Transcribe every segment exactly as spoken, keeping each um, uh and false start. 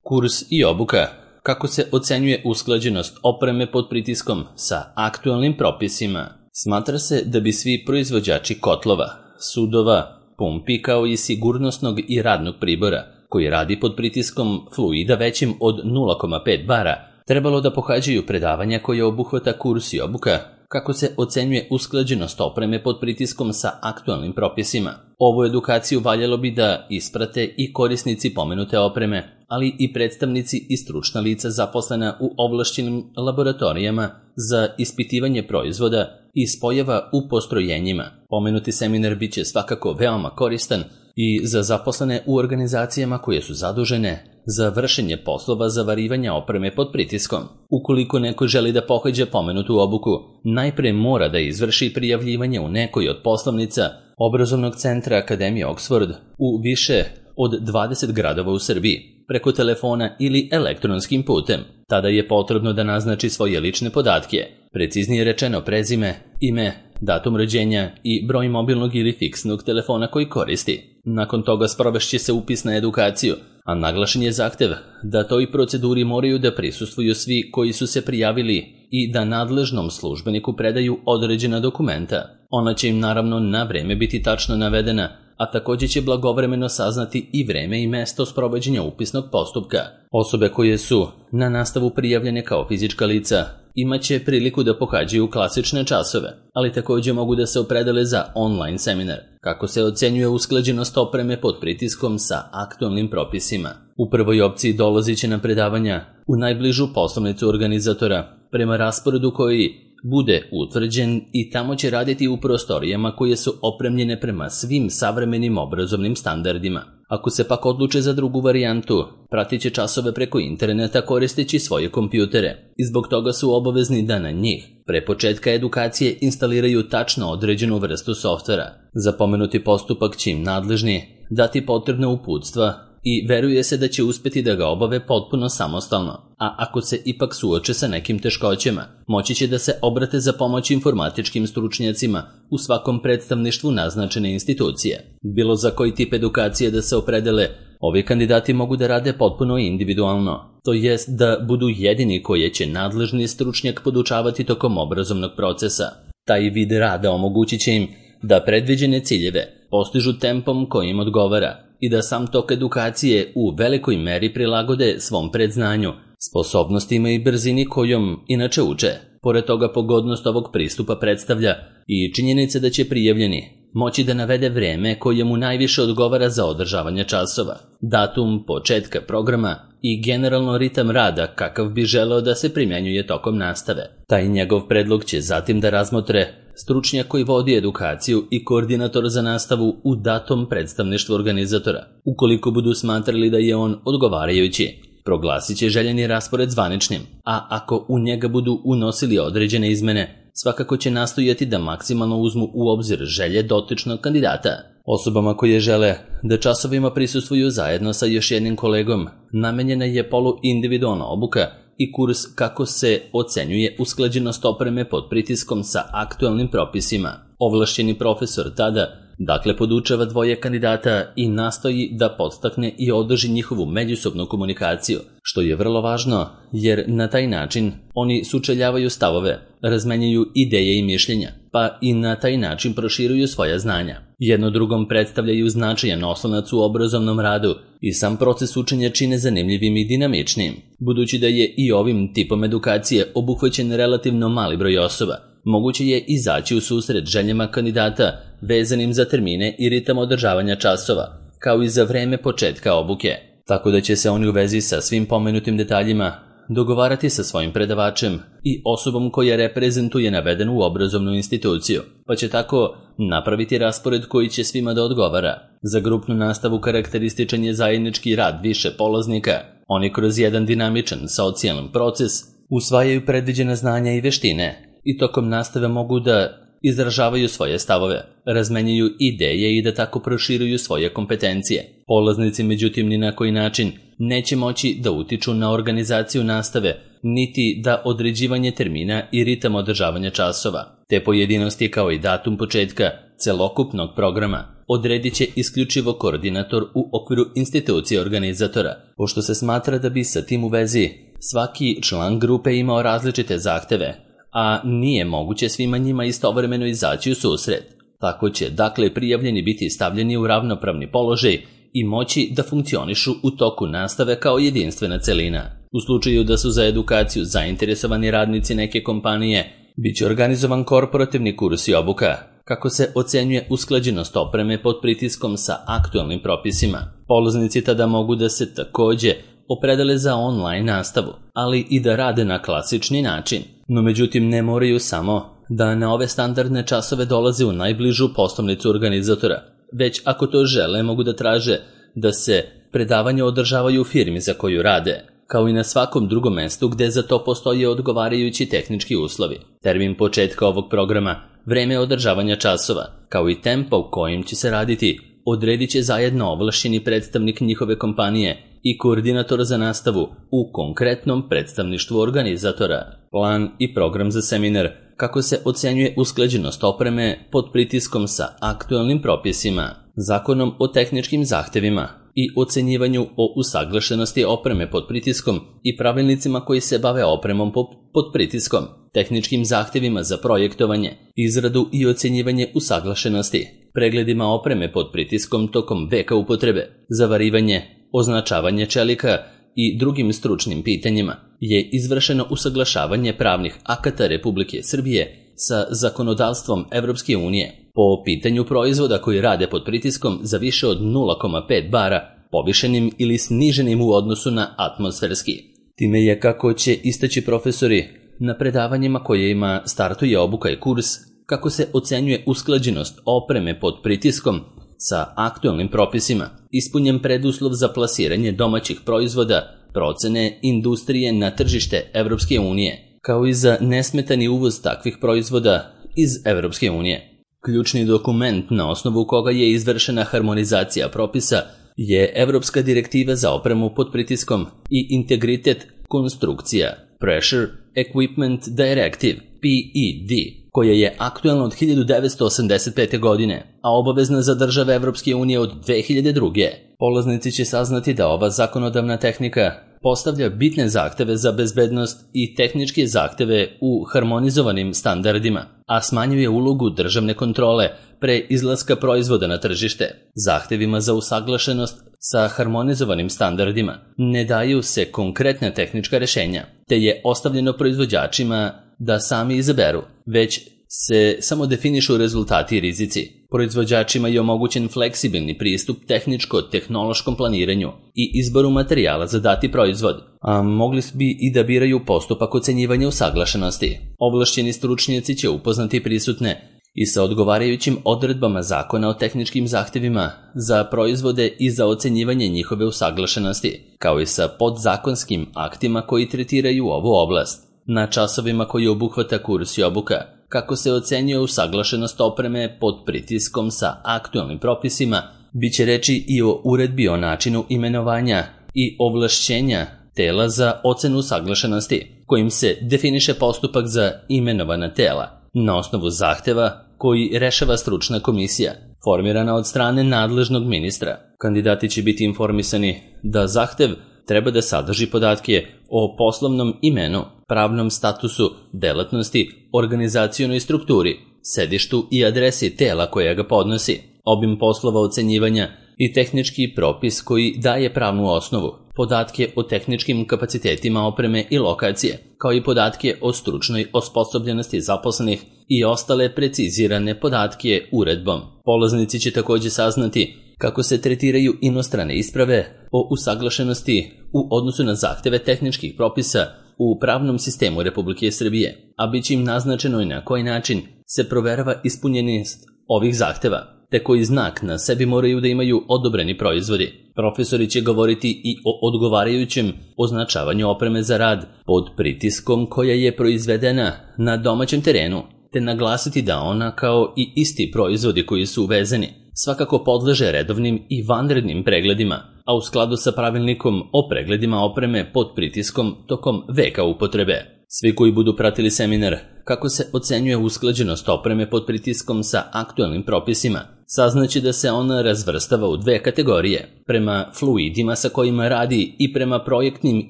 Kurs i obuka. Kako se ocenjuje usklađenost opreme pod pritiskom sa aktualnim propisima? Smatra se da bi svi proizvođači kotlova, sudova, pumpi kao i sigurnosnog i radnog pribora, koji radi pod pritiskom fluida većim od nula zarez pet bara, trebalo da pohađaju predavanja koje obuhvata kurs i obuka, kako se ocenjuje usklađenost opreme pod pritiskom sa aktualnim propisima. Ovu edukaciju valjalo bi da isprate i korisnici pomenute opreme, ali i predstavnici i stručna lica zaposlena u ovlašćenim laboratorijama za ispitivanje proizvoda i spojeva u postrojenjima. Pomenuti seminar biće svakako veoma koristan i za zaposlene u organizacijama koje su zadužene za vršenje poslova zavarivanja opreme pod pritiskom. Ukoliko neko želi da pohađa pomenutu obuku, najpre mora da izvrši prijavljivanje u nekoj od poslovnica Obrazovnog centra Akademije Oxford u više od dvadeset gradova u Srbiji, preko telefona ili elektronskim putem. Tada je potrebno da naznači svoje lične podatke, preciznije rečeno prezime, ime, datum rođenja i broj mobilnog ili fiksnog telefona koji koristi. Nakon toga sprovešće se upis na edukaciju, a naglašen je zahtev da toj proceduri moraju da prisustvuju svi koji su se prijavili i da nadležnom službeniku predaju određena dokumenta. Ona će im naravno na vreme biti tačno navedena, a također će blagovremeno saznati i vreme i mesto sprovođenja upisnog postupka. Osobe koje su na nastavu prijavljene kao fizička lica imaće priliku da pohađaju klasične časove, ali također mogu da se opredele za online seminar, kako se ocenjuje usklađenost opreme pod pritiskom sa aktualnim propisima. U prvoj opciji dolazit će na predavanja u najbližu poslovnicu organizatora, prema rasporedu koji bude utvrđen, i tamo će raditi u prostorijama koje su opremljene prema svim savremenim obrazovnim standardima. Ako se pak odluče za drugu varijantu, pratit će časove preko interneta koristeći svoje kompjutere i zbog toga su obavezni da na njih pre početka edukacije instaliraju tačno određenu vrstu softvera. Za pomenuti postupak će im nadležni dati potrebne uputstva i veruje se da će uspeti da ga obave potpuno samostalno, a ako se ipak suoče sa nekim teškoćama, moći će da se obrate za pomoć informatičkim stručnjacima u svakom predstavništvu naznačene institucije. Bilo za koji tip edukacije da se opredele, ovi kandidati mogu da rade potpuno individualno, to jest da budu jedini koje će nadležni stručnjak podučavati tokom obrazovnog procesa. Taj vid rada omogućit će im da predviđene ciljeve postižu tempom kojim odgovara i da sam tok edukacije u velikoj meri prilagode svom predznanju, sposobnostima i brzini kojom inače uče. Pored toga, pogodnost ovog pristupa predstavlja i činjenica da će prijavljeni moći da navede vreme koje mu najviše odgovara za održavanje časova, datum početka programa i generalno ritam rada kakav bi želeo da se primjenjuje tokom nastave. Taj njegov predlog će zatim da razmotre stručnjak koji vodi edukaciju i koordinator za nastavu u datom predstavništvu organizatora. Ukoliko budu smatrali da je on odgovarajući, proglasit će željeni raspored zvaničnim, a ako u njega budu unosili određene izmene, svakako će nastojati da maksimalno uzmu u obzir želje dotičnog kandidata. Osobama koje žele da časovima prisustvuju zajedno sa još jednim kolegom, namenjena je poluindividualna obuka i kurs kako se ocenjuje usklađenost opreme pod pritiskom sa aktualnim propisima. Ovlašćeni profesor tada dakle podučava dvoje kandidata i nastoji da podstakne i održi njihovu međusobnu komunikaciju, što je vrlo važno jer na taj način oni sučeljavaju stavove, razmenjuju ideje i mišljenja, pa i na taj način proširuju svoja znanja. Jedno drugom predstavljaju značajan oslonac u obrazovnom radu i sam proces učenja čine zanimljivim i dinamičnim. Budući da je i ovim tipom edukacije obuhvaćen relativno mali broj osoba, moguće je izaći u susret željama kandidata vezanim za termine i ritam održavanja časova, kao i za vreme početka obuke, tako da će se oni u vezi sa svim pomenutim detaljima dogovarati sa svojim predavačem i osobom koja reprezentuje navedenu obrazovnu instituciju, pa će tako napraviti raspored koji će svima da odgovara. Za grupnu nastavu karakterističan je zajednički rad više polaznika. Oni kroz jedan dinamičan socijalan proces usvajaju predviđena znanja i veštine i tokom nastave mogu da izražavaju svoje stavove, razmenjuju ideje i da tako proširuju svoje kompetencije. Polaznici, međutim, ni na koji način neće moći da utiču na organizaciju nastave, niti da određivanje termina i ritam održavanja časova. Te pojedinosti kao i datum početka celokupnog programa odredit će isključivo koordinator u okviru institucije organizatora, pošto se smatra da bi sa tim u vezi svaki član grupe imao različite zahteve, a nije moguće svima njima istovremeno izaći u susret. Tako će, dakle, prijavljeni biti stavljeni u ravnopravni položaj i moći da funkcionišu u toku nastave kao jedinstvena celina. U slučaju da su za edukaciju zainteresovani radnici neke kompanije, bit će organizovan korporativni kurs i obuka, kako se ocenjuje usklađenost opreme pod pritiskom sa aktualnim propisima. Polaznici tada mogu da se takođe opredele za online nastavu, ali i da rade na klasični način. No međutim ne moraju samo da na ove standardne časove dolaze u najbližu poslovnicu organizatora, već ako to žele mogu da traže da se predavanja održavaju u firmi za koju rade, kao i na svakom drugom mestu gde za to postoje odgovarajući tehnički uslovi. Termin početka ovog programa, vreme održavanja časova, kao i tempo u kojim će se raditi, odredit će zajedno ovlašćeni predstavnik njihove kompanije i koordinator za nastavu u konkretnom predstavništvu organizatora. Plan i program za seminar, kako se ocenjuje usklađenost opreme pod pritiskom sa aktualnim propisima, Zakonom o tehničkim zahtevima i ocenjivanju o usaglašenosti opreme pod pritiskom i pravilnicima koji se bave opremom pod pritiskom, tehničkim zahtevima za projektovanje, izradu i ocenjivanje usaglašenosti, pregledima opreme pod pritiskom tokom veka upotrebe, zavarivanje, označavanje čelika i drugim stručnim pitanjima, je izvršeno usaglašavanje pravnih akata Republike Srbije sa zakonodavstvom Evropske unije po pitanju proizvoda koji rade pod pritiskom za više od nula zarez pet bara, povišenim ili sniženim u odnosu na atmosferski. Time je, kako će istaći profesori na predavanjima kojima startuje obuka i kurs, kako se ocenjuje usklađenost opreme pod pritiskom sa aktualnim propisima, ispunjen preduslov za plasiranje domaćih proizvoda, procene industrije na tržište Evropske unije, kao i za nesmetani uvoz takvih proizvoda iz Evropske unije. Ključni dokument na osnovu koga je izvršena harmonizacija propisa je Evropska direktiva za opremu pod pritiskom i integritet konstrukcija Pressure Equipment Directive P E D, koja je aktualna od hiljadu devetsto osamdeset pete. godine, a obavezna za države Evropske unije od dve hiljade druge. Polaznici će saznati da ova zakonodavna tehnika postavlja bitne zahteve za bezbednost i tehničke zahteve u harmonizovanim standardima, a smanjuje ulogu državne kontrole pre izlaska proizvoda na tržište. Zahtevima za usaglašenost sa harmonizovanim standardima ne daju se konkretna tehnička rešenja, te je ostavljeno proizvođačima da sami izaberu, već se samo definišu rezultati i rizici. Proizvođačima je omogućen fleksibilni pristup tehničko-tehnološkom planiranju i izboru materijala za dati proizvod, a mogli bi i da biraju postupak ocenjivanja usaglašenosti. Ovlašćeni stručnjaci će upoznati prisutne i sa odgovarajućim odredbama Zakona o tehničkim zahtevima za proizvode i za ocenjivanje njihove usaglašenosti, kao i sa podzakonskim aktima koji tretiraju ovu oblast. Na časovima koji obuhvata kurs i obuka, kako se ocenjuje usaglašenost opreme pod pritiskom sa aktualnim propisima, bit će reči i o uredbi o načinu imenovanja i ovlašćenja tela za ocenu usaglašenosti, kojim se definiše postupak za imenovana tela na osnovu zahteva koji rešava stručna komisija, formirana od strane nadležnog ministra. Kandidati će biti informisani da zahtev treba da sadrži podatke o poslovnom imenu, pravnom statusu, delatnosti, organizacionoj strukturi, sedištu i adresi tela koja ga podnosi, obim poslova ocenjivanja i tehnički propis koji daje pravnu osnovu, podatke o tehničkim kapacitetima opreme i lokacije, kao i podatke o stručnoj osposobljenosti zaposlenih i ostale precizirane podatke uredbom. Polaznici će takođe saznati kako se tretiraju inostrane isprave o usaglašenosti u odnosu na zahteve tehničkih propisa u pravnom sistemu Republike Srbije, a bit će im naznačeno i na koji način se proverava ispunjenost ovih zahteva, te koji znak na sebi moraju da imaju odobreni proizvodi. Profesori će govoriti i o odgovarajućem označavanju opreme za rad pod pritiskom koja je proizvedena na domaćem terenu, te naglasiti da ona, kao i isti proizvodi koji su uvezeni, svakako podleže redovnim i vanrednim pregledima, a u skladu sa pravilnikom o pregledima opreme pod pritiskom tokom veka upotrebe. Svi koji budu pratili seminar kako se ocenjuje usklađenost opreme pod pritiskom sa aktualnim propisima saznaće da se ona razvrstava u dve kategorije, prema fluidima sa kojima radi i prema projektnim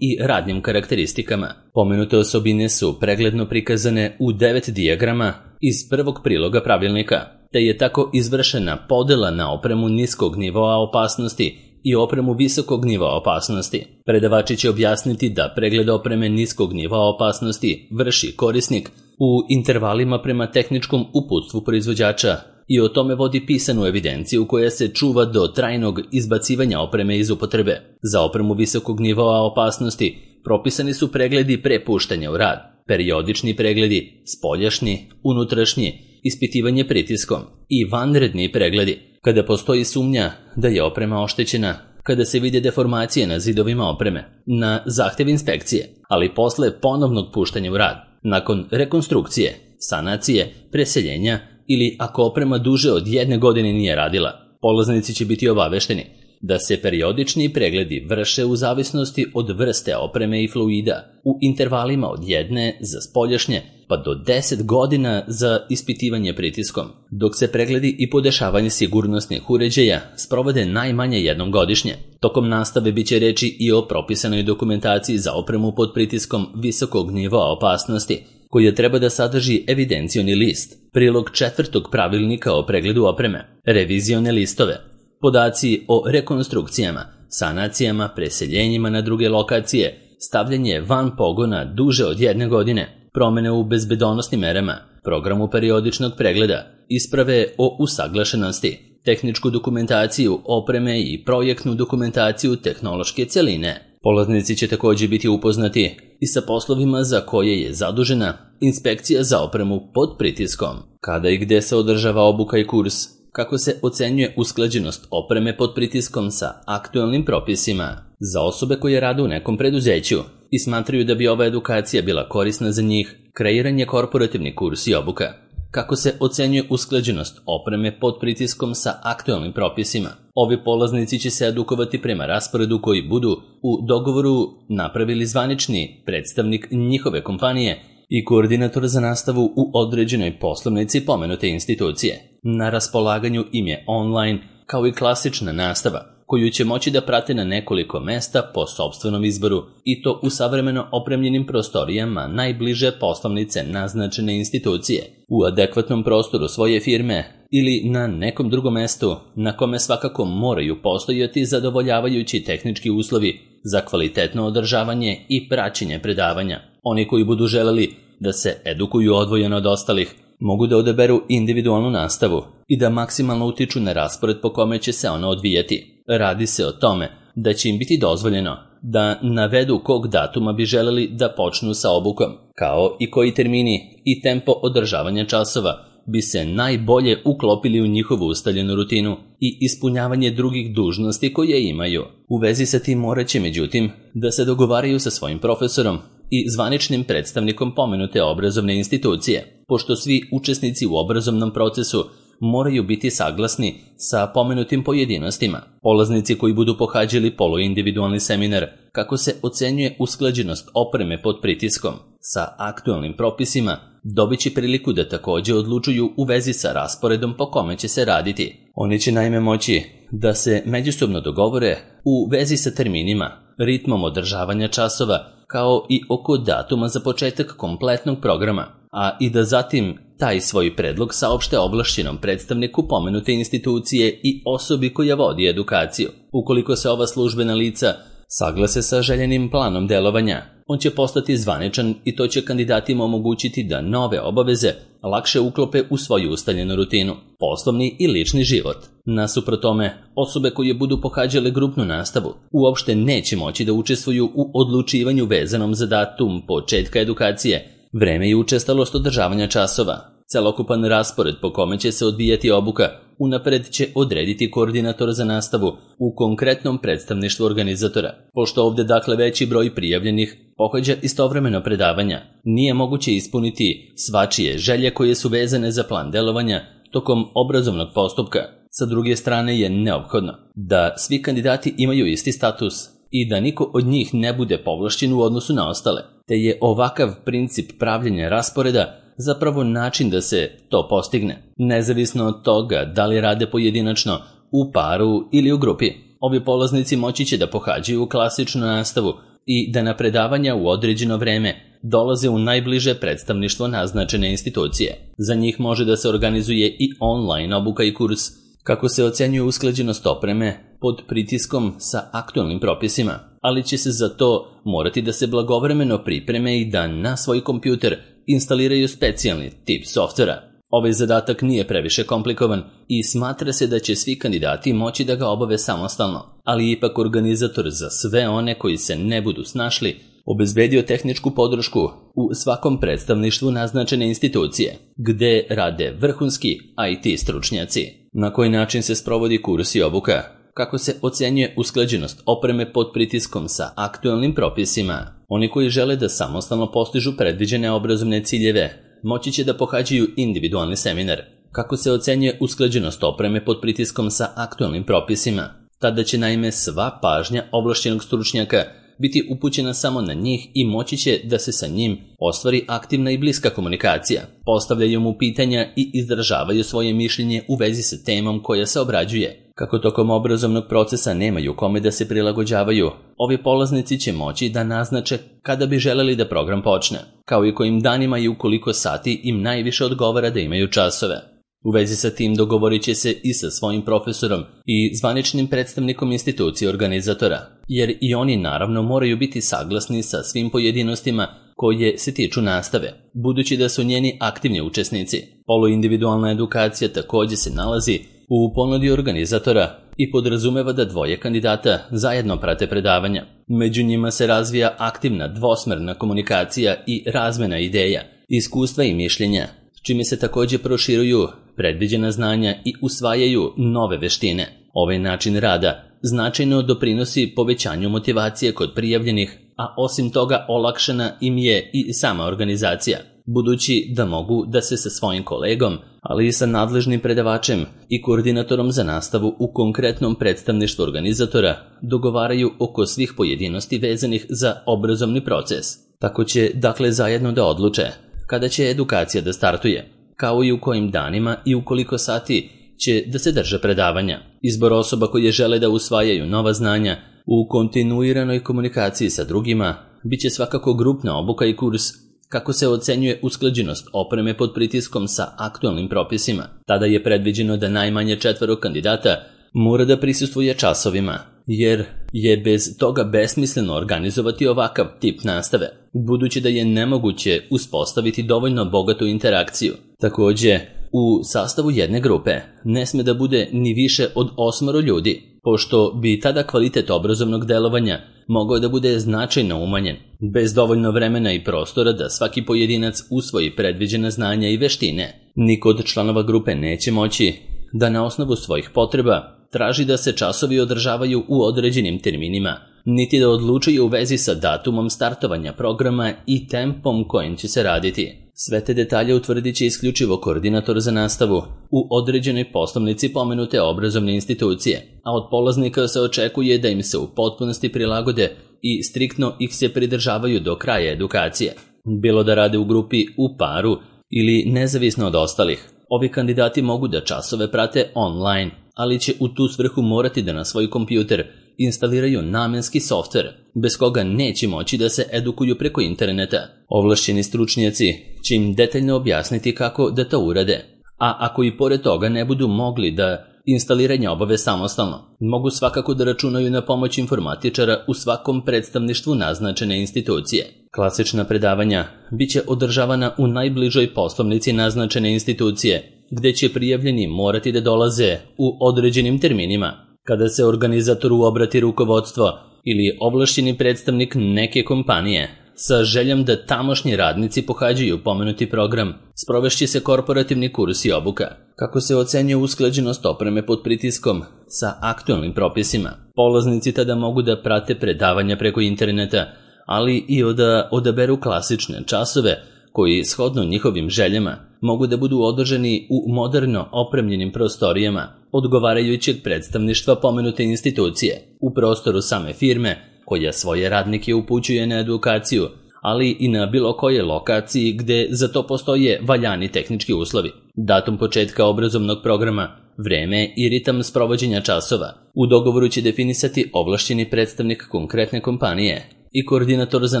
i radnim karakteristikama. Pomenute osobine su pregledno prikazane u devet dijagrama iz prvog priloga pravilnika, te je tako izvršena podela na opremu niskog nivoa opasnosti i opremu visokog nivoa opasnosti. Predavači će objasniti da pregled opreme niskog nivoa opasnosti vrši korisnik u intervalima prema tehničkom uputstvu proizvođača i o tome vodi pisanu evidenciju koja se čuva do trajnog izbacivanja opreme iz upotrebe. Za opremu visokog nivoa opasnosti propisani su pregledi pre puštanja u rad, periodični pregledi, spoljašnji, unutrašnji, ispitivanje pritiskom i vanredni pregledi, kada postoji sumnja da je oprema oštećena, kada se vide deformacije na zidovima opreme, na zahtev inspekcije, ali posle ponovnog puštanja u rad, nakon rekonstrukcije, sanacije, preseljenja ili ako oprema duže od jedne godine nije radila. Polaznici će biti obavešteni da se periodični pregledi vrše u zavisnosti od vrste opreme i fluida u intervalima od jedne za spoljašnje pa do deset godina za ispitivanje pritiskom, dok se pregledi i podešavanje sigurnosnih uređaja sprovode najmanje jednom godišnje. Tokom nastave biće reči i o propisanoj dokumentaciji za opremu pod pritiskom visokog nivoa opasnosti, koja treba da sadrži evidencioni list, prilog četvrtog pravilnika o pregledu opreme, revizione listove, podaci o rekonstrukcijama, sanacijama, preseljenjima na druge lokacije, stavljanje van pogona duže od jedne godine, promene u bezbedonosnim merama, programu periodičnog pregleda, isprave o usaglašenosti, tehničku dokumentaciju opreme i projektnu dokumentaciju tehnološke celine. Polaznici će također biti upoznati i sa poslovima za koje je zadužena inspekcija za opremu pod pritiskom, kada i gde se održava obuka i kurs, kako se ocenjuje usklađenost opreme pod pritiskom sa aktuelnim propisima. Za osobe koje rade u nekom preduzeću i smatraju da bi ova edukacija bila korisna za njih, kreiran je korporativni kurs i obuka. Kako se ocenjuje usklađenost opreme pod pritiskom sa aktuelnim propisima. Ovi polaznici će se edukovati prema rasporedu koji budu u dogovoru napravili zvanični predstavnik njihove kompanije i koordinator za nastavu u određenoj poslovnici pomenute institucije. Na raspolaganju im je online kao i klasična nastava, koju će moći da prate na nekoliko mesta po sopstvenom izboru i to u savremeno opremljenim prostorijama najbliže poslovnice naznačene institucije, u adekvatnom prostoru svoje firme ili na nekom drugom mestu na kome svakako moraju postojati zadovoljavajući tehnički uslovi za kvalitetno održavanje i praćenje predavanja. Oni koji budu želeli da se edukuju odvojeno od ostalih mogu da odaberu individualnu nastavu i da maksimalno utiču na raspored po kome će se ona odvijati. Radi se o tome da će im biti dozvoljeno da navedu kog datuma bi želeli da počnu sa obukom, kao i koji termini i tempo održavanja časova bi se najbolje uklopili u njihovu ustaljenu rutinu i ispunjavanje drugih dužnosti koje imaju. U vezi sa tim morat će, međutim, da se dogovaraju sa svojim profesorom i zvaničnim predstavnikom pomenute obrazovne institucije, pošto svi učesnici u obrazovnom procesu moraju biti saglasni sa pomenutim pojedinostima. Polaznici koji budu pohađali poluindividualni seminar kako se ocenjuje usklađenost opreme pod pritiskom sa aktuelnim propisima dobit će priliku da također odlučuju u vezi sa rasporedom po kome će se raditi. Oni će naime moći da se međusobno dogovore u vezi sa terminima, ritmom održavanja časova, kao i oko datuma za početak kompletnog programa, a i da zatim taj svoj predlog saopšte ovlašćenom predstavniku pomenute institucije i osobi koja vodi edukaciju. Ukoliko se ova službena lica saglase sa željenim planom delovanja, on će postati zvaničan i to će kandidatima omogućiti da nove obaveze lakše uklope u svoju ustaljenu rutinu, poslovni i lični život. Nasuprot tome, osobe koje budu pohađale grupnu nastavu uopšte neće moći da učestvuju u odlučivanju vezanom za datum početka edukacije, vreme i učestalost održavanja časova. Celokupan raspored po kome će se odvijati obuka unapred će odrediti koordinator za nastavu u konkretnom predstavništvu organizatora. Pošto ovde dakle veći broj prijavljenih pohađa istovremeno predavanja, nije moguće ispuniti svačije želje koje su vezane za plan delovanja tokom obrazovnog postupka. Sa druge strane je neophodno da svi kandidati imaju isti status i da niko od njih ne bude povlašćen u odnosu na ostale, te je ovakav princip pravljenja rasporeda zapravo način da se to postigne. Nezavisno od toga da li rade pojedinačno, u paru ili u grupi, ovi polaznici moći će da pohađaju klasičnu nastavu i da na predavanja u određeno vreme dolaze u najbliže predstavništvo naznačene institucije. Za njih može da se organizuje i online obuka i kurs. Kako se ocenjuje usklađenost opreme pod pritiskom sa aktualnim propisima, ali će se za to morati da se blagovremeno pripreme i da na svoj kompjuter instaliraju specijalni tip softvera. Ovaj zadatak nije previše komplikovan i smatra se da će svi kandidati moći da ga obave samostalno, ali ipak organizator za sve one koji se ne budu snašli obezbedio tehničku podršku u svakom predstavništvu naznačene institucije, gde rade vrhunski I T stručnjaci. Na koji način se sprovodi kurs i obuka? Kako se ocenjuje usklađenost opreme pod pritiskom sa aktualnim propisima? Oni koji žele da samostalno postižu predviđene obrazovne ciljeve moći će da pohađaju individualni seminar. Kako se ocenjuje usklađenost opreme pod pritiskom sa aktualnim propisima? Tada će naime sva pažnja ovlašćenog stručnjaka biti upućena samo na njih i moći će da se sa njim ostvari aktivna i bliska komunikacija. Postavljaju mu pitanja i izražavaju svoje mišljenje u vezi sa temom koja se obrađuje. Kako tokom obrazovnog procesa nemaju kome da se prilagođavaju, ovi polaznici će moći da naznače kada bi želeli da program počne, kao i kojim danima i u koliko sati im najviše odgovara da imaju časove. U vezi sa tim dogovorit će se i sa svojim profesorom i zvaničnim predstavnikom institucije organizatora, jer i oni naravno moraju biti saglasni sa svim pojedinostima koje se tiču nastave, budući da su njeni aktivni učesnici. Poluindividualna edukacija također se nalazi u ponudi organizatora i podrazumeva da dvoje kandidata zajedno prate predavanja. Među njima se razvija aktivna dvosmerna komunikacija i razmena ideja, iskustva i mišljenja, čime se također proširuju predviđena znanja i usvajaju nove veštine. Ovaj način rada značajno doprinosi povećanju motivacije kod prijavljenih, a osim toga olakšana im je i sama organizacija, budući da mogu da se sa svojim kolegom, ali i sa nadležnim predavačem i koordinatorom za nastavu u konkretnom predstavništvu organizatora dogovaraju oko svih pojedinosti vezanih za obrazovni proces. Tako će dakle zajedno da odluče kada će edukacija da startuje, kao i u kojim danima i u koliko sati će da se drže predavanja. Izbor osoba koje žele da usvajaju nova znanja u kontinuiranoj komunikaciji sa drugima bit će svakako grupna obuka i kurs. Kako se ocenjuje usklađenost opreme pod pritiskom sa aktualnim propisima? Tada je predviđeno da najmanje četvoro kandidata mora da prisustvuje časovima, jer je bez toga besmisleno organizovati ovakav tip nastave, budući da je nemoguće uspostaviti dovoljno bogatu interakciju. Također, u sastavu jedne grupe ne sme da bude ni više od osmoro ljudi, pošto bi tada kvalitet obrazovnog delovanja mogao da bude značajno umanjen, bez dovoljno vremena i prostora da svaki pojedinac usvoji predviđena znanja i veštine. Niko od članova grupe neće moći da na osnovu svojih potreba traži da se časovi održavaju u određenim terminima, niti da odlučuju u vezi sa datumom startovanja programa i tempom kojim će se raditi. Sve te detalje utvrdit će isključivo koordinator za nastavu u određenoj poslovnici pomenute obrazovne institucije, a od polaznika se očekuje da im se u potpunosti prilagode i striktno ih se pridržavaju do kraja edukacije. Bilo da rade u grupi, u paru ili nezavisno od ostalih, ovi kandidati mogu da časove prate online, ali će u tu svrhu morati da na svoj kompjuter instaliraju namenski softver, bez koga neće moći da se edukuju preko interneta. Ovlašćeni stručnjaci će im detaljno objasniti kako da to urade, a ako i pored toga ne budu mogli da instaliranje obave samostalno, mogu svakako da računaju na pomoć informatičara u svakom predstavništvu naznačene institucije. Klasična predavanja bit će održavana u najbližoj poslovnici naznačene institucije, gde će prijavljeni morati da dolaze u određenim terminima. Kada se organizatoru obrati rukovodstvo ili ovlašćeni predstavnik neke kompanije sa željom da tamošnji radnici pohađaju pomenuti program, sprovešće se korporativni kurs i obuka. Kako se ocenjuje usklađenost opreme pod pritiskom sa aktualnim propisima? Polaznici tada mogu da prate predavanja preko interneta, ali i da odaberu klasične časove koji, shodno njihovim željama, mogu da budu održani u moderno opremljenim prostorijama odgovarajućeg predstavništva pomenute institucije u prostoru same firme koja svoje radnike upućuje na edukaciju, ali i na bilo kojoj lokaciji gde za to postoje valjani tehnički uslovi, datum početka obrazovnog programa, vreme i ritam sprovođenja časova. U dogovoru će definisati ovlašćeni predstavnik konkretne kompanije i koordinator za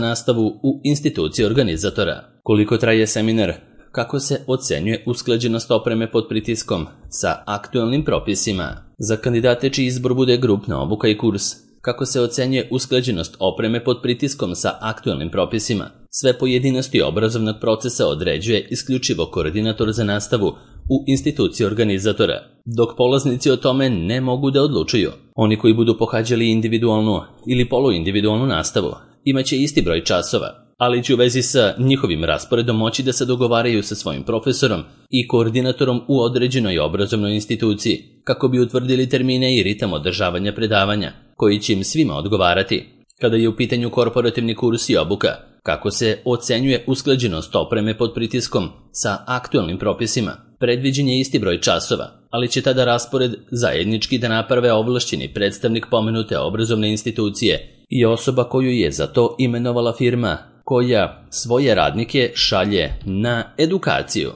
nastavu u instituciji organizatora. Koliko traje seminar? Kako se ocenjuje usklađenost opreme pod pritiskom sa aktualnim propisima? Za kandidate čiji izbor bude grupna obuka i kurs. Kako se ocenjuje usklađenost opreme pod pritiskom sa aktualnim propisima? Sve pojedinosti obrazovnog procesa određuje isključivo koordinator za nastavu u instituciji organizatora, dok polaznici o tome ne mogu da odlučuju. Oni koji budu pohađali individualnu ili poluindividualnu nastavu imaće isti broj časova, ali će u vezi sa njihovim rasporedom moći da se dogovaraju sa svojim profesorom i koordinatorom u određenoj obrazovnoj instituciji, kako bi utvrdili termine i ritam održavanja predavanja, koji će im svima odgovarati. Kada je u pitanju korporativni kurs i obuka, kako se ocenjuje usklađenost opreme pod pritiskom sa aktualnim propisima, predviđen je isti broj časova, ali će tada raspored zajednički da naprave ovlašćeni predstavnik pomenute obrazovne institucije i osoba koju je za to imenovala firma koja svoje radnike šalje na edukaciju.